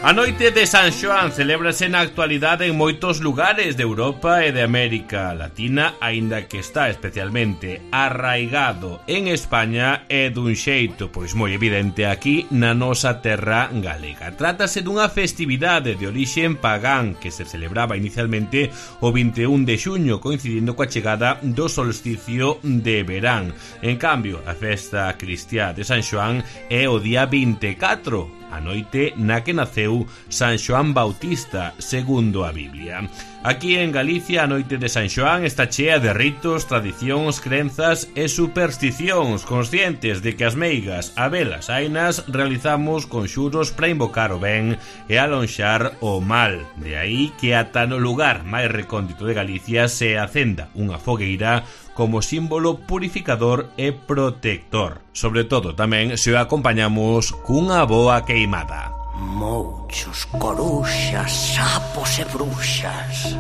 A noite de San Xoán celébrase na actualidade en moitos lugares de Europa e de América Latina, aínda que está especialmente arraigado en España e dun xeito pois moi evidente aquí na nosa terra galega. Trátase dunha festividade de orixen pagán que se celebraba inicialmente o 21 de xuño, coincidindo coa chegada do solsticio de verán. En cambio, a festa cristiá de San Xoán é o día 24, a noite na que naceu San Xoán Bautista, segundo a Biblia. Aquí en Galicia, a noite de San Xoán está chea de ritos, tradicións, crenzas e supersticións, conscientes de que as meigas, a velas ainas, realizamos conxuros para invocar o ben e alonxar o mal. De aí que ata no lugar máis recóndito de Galicia se acenda unha fogueira como símbolo purificador e protector. Sobre todo tamén se o acompañamos cunha boa queimada. Mouchos, coruxas, sapos e bruxas,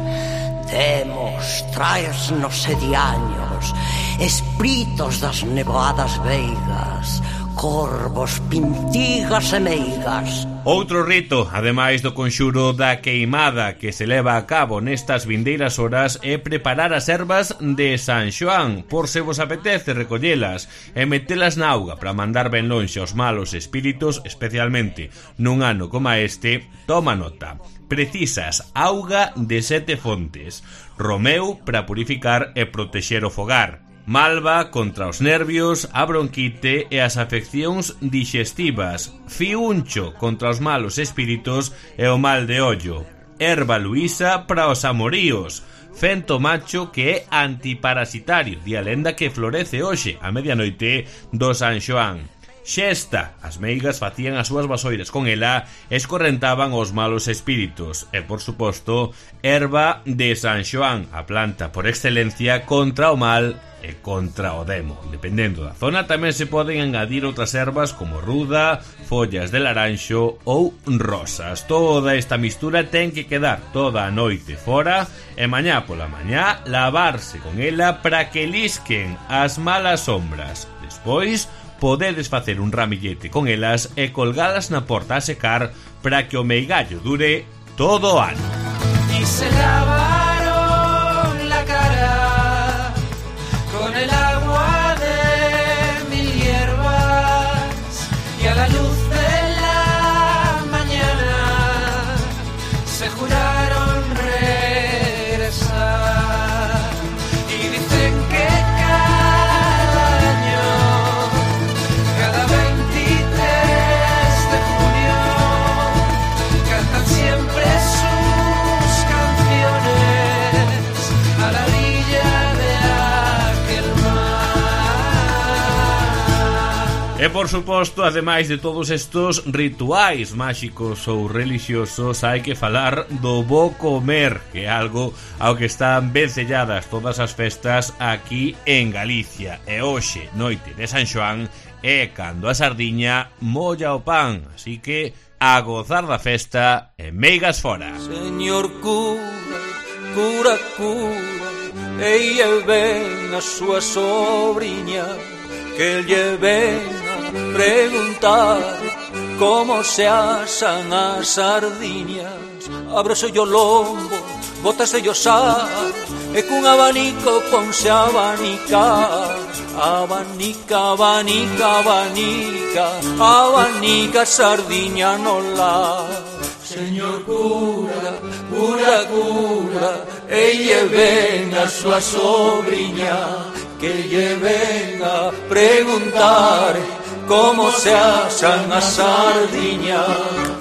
demos, traesnos e diaños, espíritos das nevoadas veigas, corvos, pintigas e meigas. Outro rito, ademais do conxuro da queimada que se leva a cabo nestas vindeiras horas, é preparar as ervas de San Xoán, por se vos apetece recollelas e metelas na auga para mandar ben lonxe aos malos espíritus, especialmente nun ano como este. Toma nota: precisas auga de 7 fontes, romeu para purificar e protexer o fogar, malva contra os nervios, a bronquite e as afeccións digestivas, fiuncho contra os malos espíritos e o mal de ollo, erva luísa para os amoríos, fento macho que é antiparasitario, di a lenda que florece hoxe a medianoite do San Xoán. Xesta, as meigas facían as súas vasoiras con ela e escorrentaban os malos espíritus. E, por suposto, erva de San Xoán, a planta por excelencia contra o mal e contra o demo. Dependendo da zona, tamén se poden engadir outras ervas como ruda, follas de laranxo ou rosas. Toda esta mistura ten que quedar toda a noite fora e mañá pola mañá lavarse con ela para que lisquen as malas sombras. Despois podedes facer un ramillete con elas e colgalas na porta a secar para que o meigallo dure todo o ano. Y se lavaron la cara con el agua de mil hierbas y a la luz de la mañana se juraron regresar y dicen que cada año, cada 23 de junio, cantan siempre sus canciones a la orilla de aquel mar. E por suposto, ademais de todos estos rituais máxicos ou religiosos, hai que falar do bo comer, que é algo ao que están vencelladas todas as festas aquí en Galicia. E hoxe, noite de San Xoán, é cando a sardiña molla o pan, así que a gozar da festa e meigas fora. Señor cura, cura, cura, ella ven a súa sobriña, que lle ven a preguntar como se asan as sardiñas. Ábrese o lombo, bótase o sal, e cun abanico ponse a abanicar. Abanica, abanica, abanica, abanica sardiña no lar. Señor cura, cura, cura, ella ven a súa sobriña, que lle ven a preguntar como se asan as sardiñas.